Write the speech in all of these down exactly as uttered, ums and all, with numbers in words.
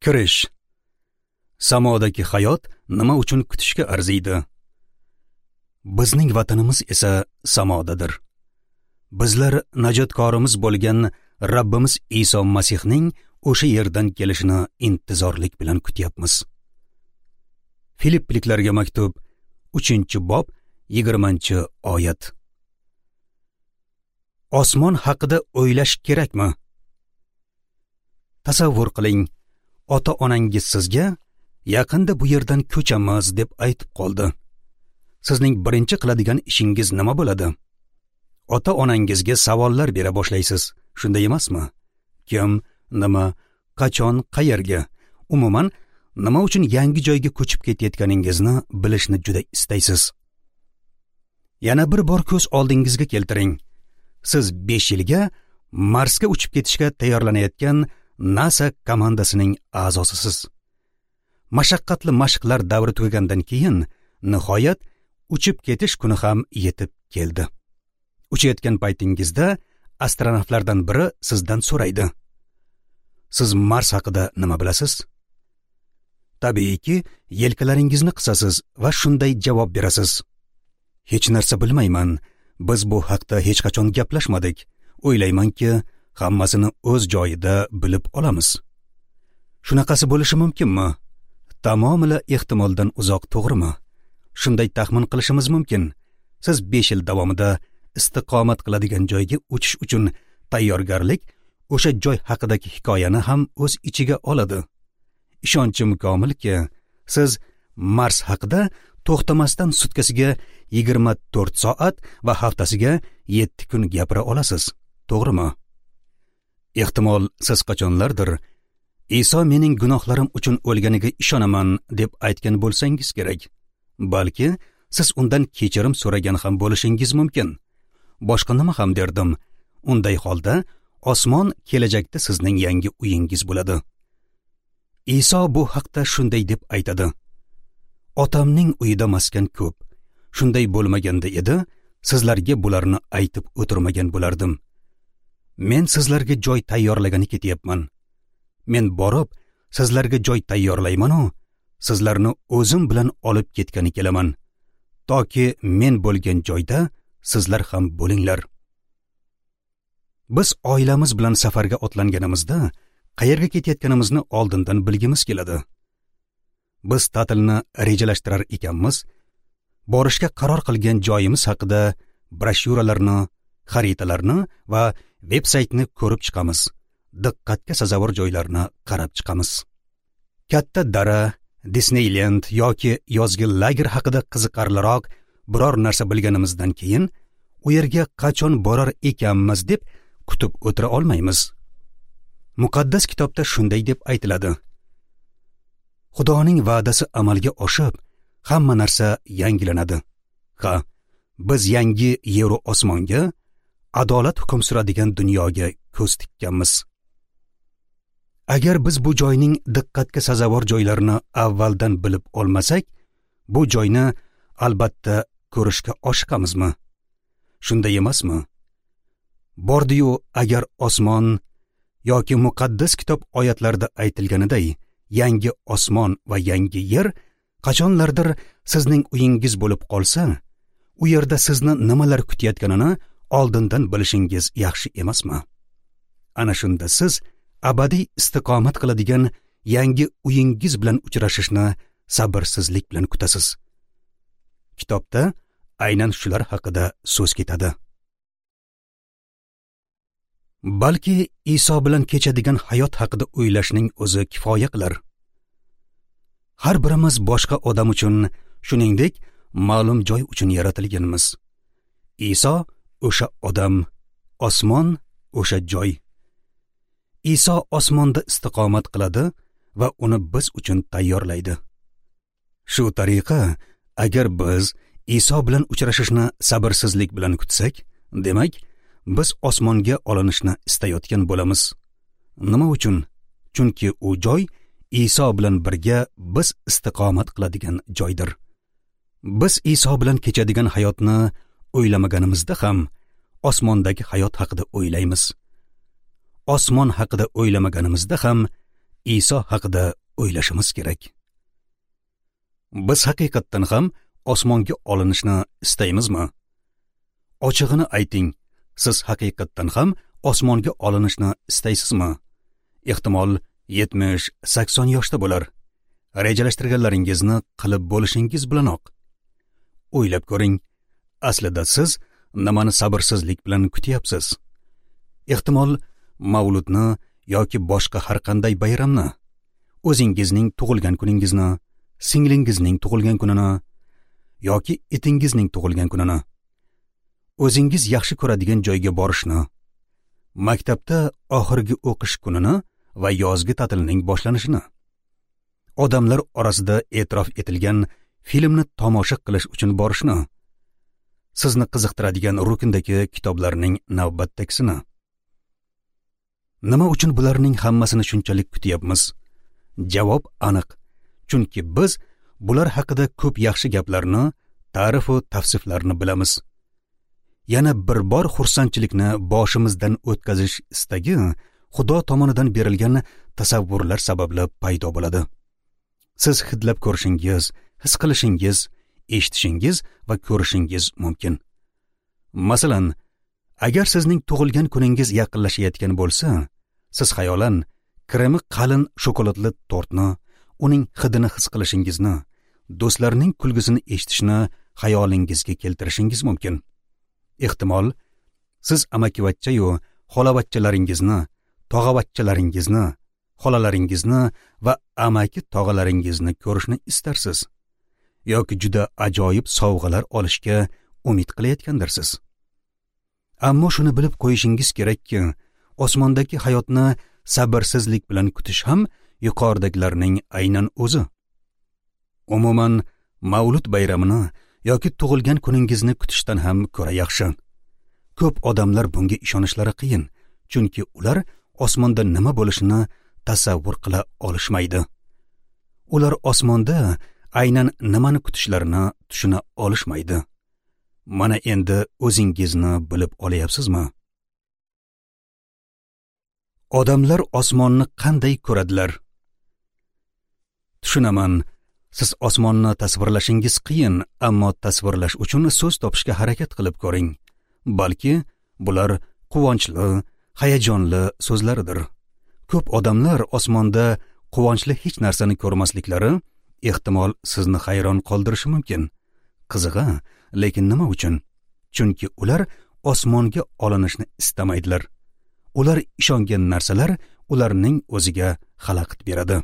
Kirish. Samodagi hayot nima uchun kutishga arziydi? Bizning vatanimiz esa samodadir. Bizlar najotkorimiz bo'lgan Rabbimiz Iso Masihning o'sha yerdan kelishini intizorlik bilan kutyapmiz. Filipliklarga maktub uchinchi bob yigirmanchi oyat. Osmon haqida o'ylash kerakmi? Tasavvur qiling, ota-onangiz sizga yaqinda bu yerdan ko'chamiz deb aytib qoldi. Sizning birinchi qiladigan ishingiz nima bo'ladi? Ota-onangizga savollar bera boshlaysiz, shunday emasmi? Kim, nima, qachon, qayerga? Umuman, nima uchun yangi joyga ko'chib ketayotganingizni bilishni juda istaysiz. Yana bir bor ko'z oldingizga keltiring. Siz besh yilga Marsga uchib ketishga tayyorlanayotgan NASA komandasining a'zosisiz. Mashaqqatli mashqlar davri tugagandan keyin nihoyat uchib ketish kuni ham yetib keldi. Uchayotgan paytingizda astronavtlardan biri sizdan so'raydi. Siz Mars haqida nima bilasiz? Tabiiyki, yelkalaringizni qisasiz va shunday javob berasiz. Hech narsa bilmayman. Biz bu haqda hech qachon gaplashmadik. O'ylaymanki, hammasini o'z joyida bilib olamiz. Shunaqasi bo'lishi mumkinmi? Tamomila ehtimoldan uzoq, to'g'rimi? Shunday taxmin qilishimiz mumkin. Siz besh yil davomida istiqomat qiladigan joyga uchish uchun tayyorgarlik o'sha joy haqidagi hikoyani ham o'z ichiga oladi. Ishonchim komilki, siz Mars haqida to'xtamasdan sutkasiga yigirma to'rt soat va haftasiga yetti kun gapira olasiz, to'g'rimi? Ehtimol siz qachonlardir Iso mening gunohlarim uchun o'lganiga ishonaman deb aytgan bo'lsangiz kerak. Balki siz undan kechirim so'ragan ham bo'lishingiz mumkin. Boshqa nima ham derdim? Unday holda osmon kelajakda sizning yangi uyingiz bo'ladi. Iso bu haqda shunday deb aytadi. Otamning uyida maskan ko'p. Shunday bo'lmaganda edi, sizlarga bularni aytib o'tirmagan bo'lardim. Men sizlarga joy tayyorlagani ketyapman. Men borib, sizlarga joy tayyorlayman-u, sizlarni o'zim bilan olib ketgani kelaman. Toki men bo'lgan joyda sizlar ham bo'linglar. Biz oilamiz bilan safarga otlanganimizda qayerga ketayotganimizni oldindan bilgimiz keladi. Biz ta'tilni rejalashtirar ekanmiz, borishga qaror qilgan joyimiz haqida broshyuralarni, xaritalarni va veb-saytni ko'rib chiqamiz. Diqqatga sazovor joylarni qarab chiqamiz. Katta dara, Disneyland yoki yozgi lager haqida qiziqarliroq biror narsa bilganimizdan keyin u yerga qachon borar ekanmiz deb kutib o'tira olmaymiz. Muqaddas kitobda shunday deb aytiladi. Xudoning va'dasi amalga oshib, hamma narsa yangilanadi. Ha, biz yangi yeru osmonga, adolat hukm suradigan dunyoga ko'z tikkanmiz. Agar biz bu joyning diqqatga sazovor joylarini avvaldan bilib olmasak, bu joyni albatta ko'rishga oshiqamizmi? Shunday emasmi? Bordi-yu agar osmon yoki muqaddas kitob oyatlarida aytilganiday yangi osmon va yangi yer qachonlardir sizning uyingiz bo'lib qolsa, u yerda sizni nimalar kutayotganini oldindan bilishingiz yaxshi emasmi? Ana shunda siz abadiy istiqomat qiladigan yangi uyingiz bilan uchrashishni sabrsizlik bilan kutasiz. Kitobda aynan shular haqida so'z ketadi. Balki Iso bilan kechadigan hayot haqida o'ylashning o'zi kifoya qilar. Har birimiz boshqa odam uchun, shuningdek, ma'lum joy uchun yaratilganmiz. Iso o'sha odam, osmon o'sha joy. Iso osmonda istiqomat qiladi va uni biz uchun tayyorlaydi. Shu tariqa, agar biz Iso bilan uchrashishni sabrsizlik bilan kutsak, demak, biz osmonga olinishni istayotgan bo'lamiz. Nima uchun? Chunki u joy Iso bilan birga biz istiqomat qiladigan joydir. Biz Iso bilan kechadigan hayotni o'ylamaganimizda ham osmondagi hayot haqida o'ylaymiz. Osmon haqida o'ylamaganimizda ham Iso haqida o'ylashimiz kerak. Biz haqiqatdan ham osmonga olinishni istaymizmi? Ochig'ini ayting, siz haqiqatdan ham osmonga olinishni istaysizmi? Ehtimol yetmish sakson yoshda bo'lar. Rejalashtirganlaringizni qilib bo'lishingiz bilanoq. O'ylab ko'ring, aslida siz nimani sabrsizlik bilan kutyapsiz? Ehtimol mavludni yoki boshqa har qanday bayramni, o'zingizning tug'ilgan kuningizni, singlingizning tug'ilgan kunini yoki itingizning tug'ilgan kunini, o'zingiz yaxshi ko'radigan joyga borishni, maktabda oxirgi o'qish kunini va yozgi ta'tilning boshlanishini, odamlar orasida e'tirof etilgan filmni tomosha qilish uchun borishni, sizni qiziqtiradigan rukndagi kitoblarning navbatdagisini. Nima uchun bularning hammasini shunchalik kutyapmiz? Javob aniq. Chunki biz bular haqida ko'p yaxshi gaplarni, ta'rif va tavsiflarni bilamiz. Yana bir bor xursandchilikni boshimizdan o'tkazish istagi Xudo tomonidan berilgan tasavvurlar sababli paydo bo'ladi. Siz hidlab ko'rishingiz, his qilishingiz, eshitishingiz va ko'rishingiz mumkin. Masalan, agar sizning tug'ilgan kuningiz yaqinlashayotgan bo'lsa, siz xayolan kremi qalin shokoladli tortni, uning hidini his qilishingizni, do'stlarning kulgisini eshitishni xayolingizga keltirishingiz mumkin. Ehtimol, siz amakivachcha-yu xolavachchalaringizni, tog'avachchalaringizni, xolalaringizni va amaki tog'alaringizni ko'rishni istarsiz yoki juda ajoyib sovg'alar olishga umid qilayotgandirsiz. Ammo shuni bilib qo'yishingiz kerakki, osmondagi hayotni sabrsizlik bilan kutish ham yuqoridagilarning aynan o'zi. Umuman, mavlud bayramini yoki tug'ilgan kuningizni kutishdan ham ko'ra yaxshi. Ko'p odamlar bunga ishonishlari qiyin, chunki ular osmonda nima bo'lishini tasavvur qila olishmaydi. Ular osmonda aynan nimani kutishlarini tushuna olishmaydi. Mana endi o'zingizni bilib olyapsizmi? Odamlar osmonni qanday ko'radilar? Tushunaman, siz osmonni tasvirlashingiz qiyin, ammo tasvirlash uchun so'z topishga harakat qilib ko'ring. Balki bular quvonchli, hayajonli so'zlaridir. Ko'p odamlar osmonda quvonchli hech narsani ko'rmasliklari ehtimol sizni hayron qoldirishi mumkin. Qizig'i, lekin nima uchun? Chunki ular osmonga olinishni istamaydilar. Ular ishongan narsalar ularning o'ziga xalaqit beradi.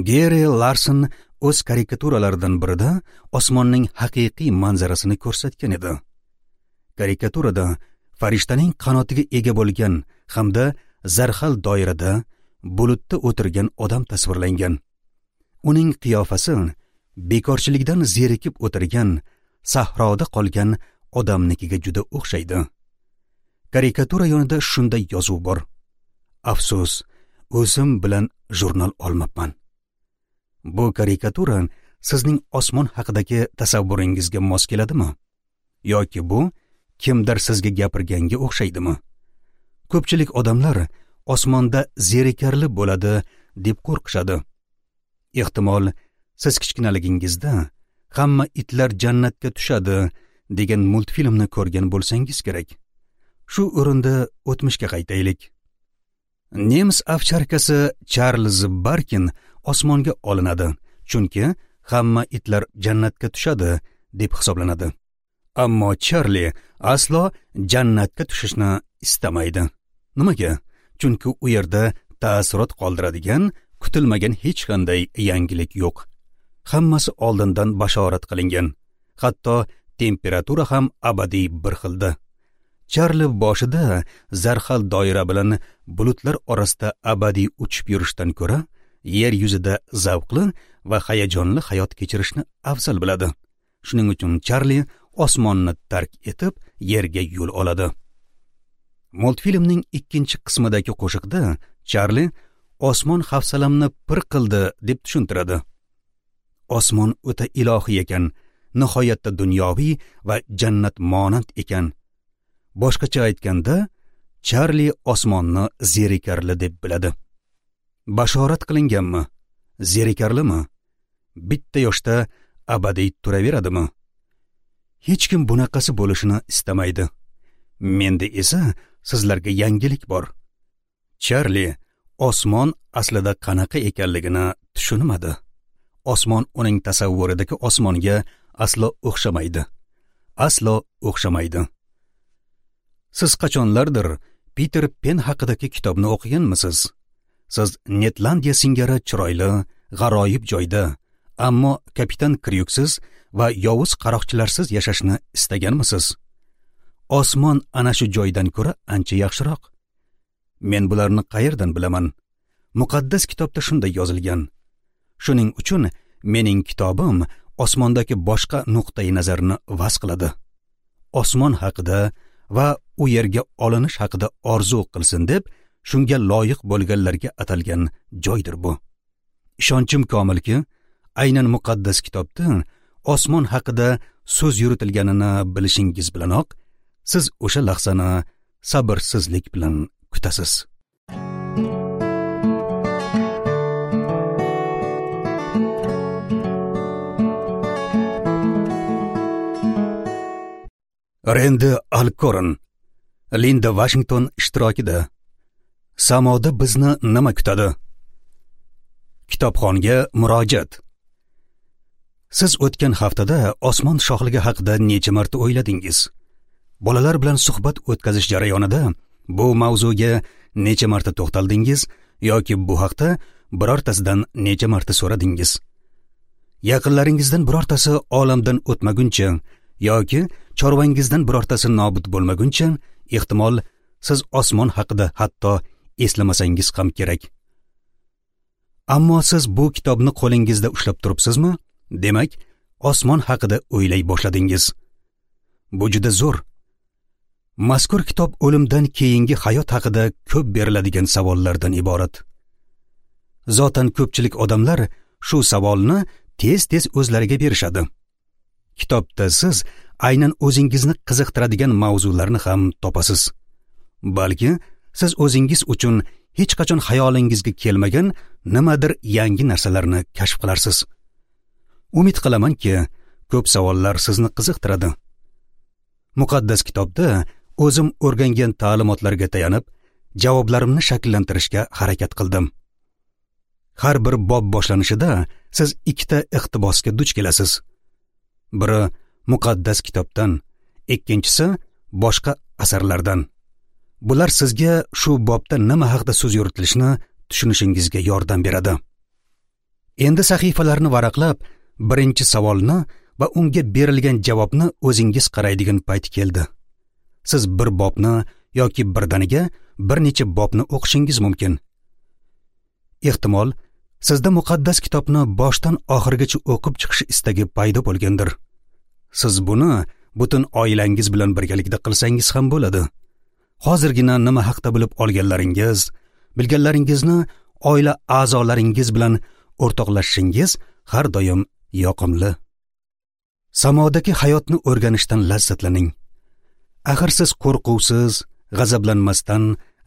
Geri Larson o'z karikaturalaridan birida osmonning haqiqiy manzarasini ko'rsatgan edi. Karikaturada farishtaning qanotiga ega bo'lgan hamda zarhal doirada bulutda o'tirgan odam tasvirlangan. Uning qiyofasi bekorchilikdan zerikib o'tirgan, sahroda qolgan odamnikiga juda o'xshaydi. Karikatura yonida shunday yozuv bor: Afsus, o'zim bilan jurnal olmabman. Bu karikatura sizning osmon haqidagi tasavvuringizga mos keladimi? Yoki bu kimdir sizga gapirganga o'xshaydimi? Ko'pchilik odamlar osmonda zerikarli bo'ladi deb qo'rqishadi. Ehtimol, siz kichkinaligingizda hamma itlar jannatga tushadi degan multfilmni ko'rgan bo'lsangiz kerak. Shu o'rinda o'tmishga qaytaylik. Nemis ovcharkasi Charlz Barkin osmonga olinadi, chunki hamma itlar jannatga tushadi deb hisoblanadi. Ammo Charli aslo jannatga tushishni istamaydi. Nimaga? Chunki u yerda taassurot qoldiradigan kutilmagan hech qanday yangilik yo'q. Hammasi oldindan bashorat qilingan. Hatto temperatura ham abadiy bir xilda. Charli boshida zarhal doira bilan bulutlar orasida abadiy uchib yurishdan ko'ra, yer yuzida zavqli va hayajonli hayot kechirishni afzal biladi. Shuning uchun Charli osmonni tark etib, yerga yo'l oladi. Multfilmning ikkinchi qismidagi qo'shiqda Charli osmon hafsalamni pir qildi deb tushuntiradi. Osmon o'ta ilohiy ekan, nihoyatda dunyoviy va jannat monand ekan. Boshqacha aytganda, Charli osmonni zerikarli deb biladi. Bashorat qilinganmi? Zerikarlimi? Bitta yoshda abadiy turaveradimi? Hech kim bunaqasi bo'lishini istamaydi. Menda esa sizlarga yangilik bor. Charli osmon aslida qanaqa ekanligini tushunmadi. Osmon uning tasavvuridagi osmonga aslo o'xshamaydi. Aslo o'xshamaydi. Siz qachonlardir Peter Pen haqidagi kitobni o'qiganmisiz? Siz Netlandiya singari chiroyli, g'aroyib joyda, ammo kapitan Kryuksiz va yovuz qaroqchilarsiz yashashni istaganmisiz? Osmon ana shu joydan ko'ra ancha yaxshiroq. Men bularni qayerdan bilaman? Muqaddas kitobda shunday yozilgan. Shuning uchun mening kitobim osmondagi boshqa nuqtai nazarni vaz qiladi. Osmon haqida va u yerga olinish haqida orzu qilsin deb shunga loyiq bo'lganlarga atalgan joydir bu. Ishonchim komilki, aynan muqaddas kitobda osmon haqida so'z yuritilganini bilishingiz bilanoq siz o'sha lahzani sabrsizlik bilan kutasiz. Rendi Alkoron, Linda Washington ishtirokida Samoda bizni nima kutadi? Kitobxonga murojaat. Siz o'tgan haftada osmon shohligi haqida necha marta o'yladingiz? Bolalar bilan suhbat o'tkazish jarayonida bu mavzuga necha marta to'xtaldingiz yoki bu haqda birortasidan necha marta so'radingiz? Yaqinlaringizdan birortasi olamdan o'tmaguncha yoki chorvangizdan birortasi nobud bo'lmaguncha, ehtimol siz osmon haqida hatto eslamasangiz ham kerak. Ammo siz bu kitobni qo'lingizda ushlab turibsizmi? Demak, osmon haqida o'ylay boshladingiz. Bu juda zo'r. Mazkur kitob o'limdan keyingi hayot haqida ko'p beriladigan savollardan iborat. Zotan ko'pchilik odamlar shu savolni tez-tez o'zlariga berishadi. Kitobda siz aynan o'zingizni qiziqtiradigan mavzularni ham topasiz. Balki siz o'zingiz uchun hech qachon xayolingizga kelmagan nimadir yangi narsalarni kashf qilarsiz. Umid qilamanki, ko'p savollar sizni qiziqtiradi. Muqaddas kitobda o'zim o'rgangan ta'limotlarga tayanib, javoblarimni shakllantirishga harakat qildim. Har bir bob boshlanishida siz ikkita iqtibosga duch kelasiz. Biri muqaddas kitobdan, ikkinchisi boshqa asarlardan. Bular sizga shu bobda nima haqida so'z yuritilishini tushunishingizga yordam beradi. Endi sahifalarni varaqlab, birinchi savolni va unga berilgan javobni o'zingiz qaraydigan payt keldi. Siz bir bobni yoki birdaniga bir necha bobni o'qishingiz mumkin. Ehtimol, sizda muqaddas kitobni boshdan oxirigacha o'qib chiqish istagi paydo bo'lgandir. Siz buni butun oilangiz bilan birgalikda qilsangiz ham bo'ladi. Hozirgina nima haqda bilib olganlaringiz, bilganlaringizni oila a'zolaringiz bilan o'rtoqlashishingiz har doim yoqimli. Samodagi hayotni o'rganishdan lazzatlaning. Axir siz qo'rquvsiz, g'azablanmasdan,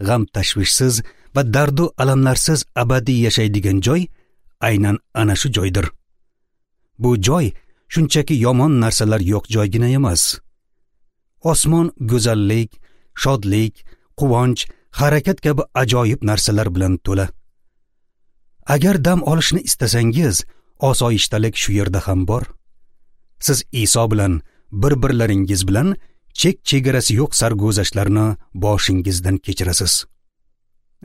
g'am tashvishsiz va dardu alamlarsiz abadiy yashaydigan joy aynan ana shu joydir. Bu joy shunchaki yomon narsalar yo'q joygina emas. Osmon go'zallik, shodlik, quvonch, harakat kabi ajoyib narsalar bilan to'la. Agar dam olishni istasangiz, osoyishtalik shu yerda ham bor. Siz Iso bilan, bir-birlaringiz bilan chek-chegarasi yo'q sarguzashtlarni boshingizdan kechirasiz.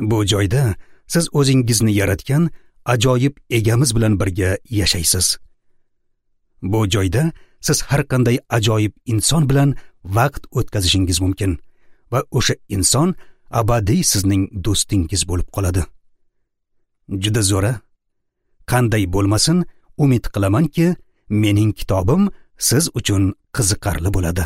Bu joyda siz o'zingizni yaratgan ajoyib egamiz bilan birga yashaysiz. Bu joyda siz har qanday ajoyib inson bilan vaqt o'tkazishingiz mumkin va o'sha inson abadiy sizning do'stingiz bo'lib qoladi. Juda zo'ra. Qanday bo'lmasin, umid qilamanki, mening kitobim siz uchun qiziqarli bo'ladi.